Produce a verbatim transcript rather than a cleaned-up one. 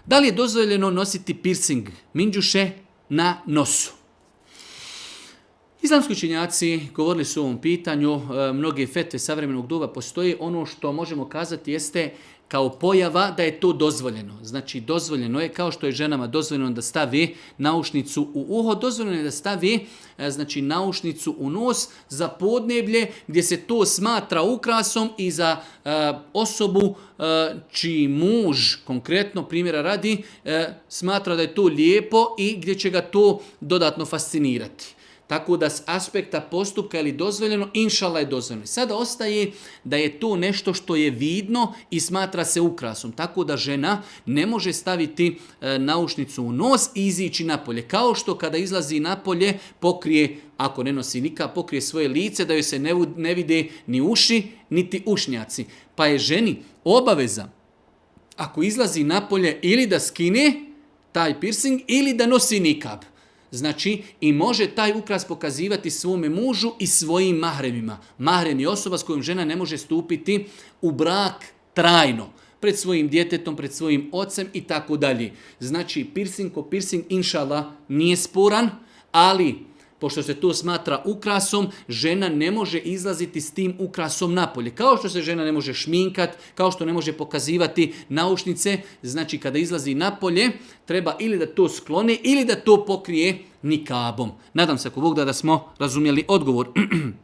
Da li je dozvoljeno nositi piercing, minđuše, na nosu? Islamski učenjaci govorili su o ovom pitanju, mnoge fetve savremenog doba postoje. Ono što možemo kazati jeste kao pojava da je to dozvoljeno. Znači dozvoljeno je, kao što je ženama dozvoljeno da stavi naušnicu u uho, dozvoljeno je da stavi znači, naušnicu u nos za podneblje gdje se to smatra ukrasom i za e, osobu e, čiji muž, konkretno primjera radi, e, smatra da je to lijepo i gdje će ga to dodatno fascinirati. Tako da s aspekta postupka ili dozvoljeno, inšala je dozvoljeno. Sada ostaje da je to nešto što je vidno i smatra se ukrasom. Tako da žena ne može staviti e, naušnicu u nos i izići napolje. Kao što kada izlazi napolje pokrije, ako ne nosi nikad, pokrije svoje lice da joj se ne, ne vide ni uši, niti ušnjaci. Pa je ženi obaveza, ako izlazi napolje, ili da skine taj piercing ili da nosi nikab. Znači, i može taj ukras pokazivati svome mužu i svojim mahremima. Mahrem je osoba s kojom žena ne može stupiti u brak trajno. Pred svojim djetetom, pred svojim ocem i tako dalje. Znači, piercing ko piercing, inšala, nije sporan, ali pošto se to smatra ukrasom, žena ne može izlaziti s tim ukrasom napolje. Kao što se žena ne može šminkat, kao što ne može pokazivati naušnice, znači kada izlazi napolje, treba ili da to skloni ili da to pokrije nikabom. Nadam se ako Bog da, da smo razumjeli odgovor.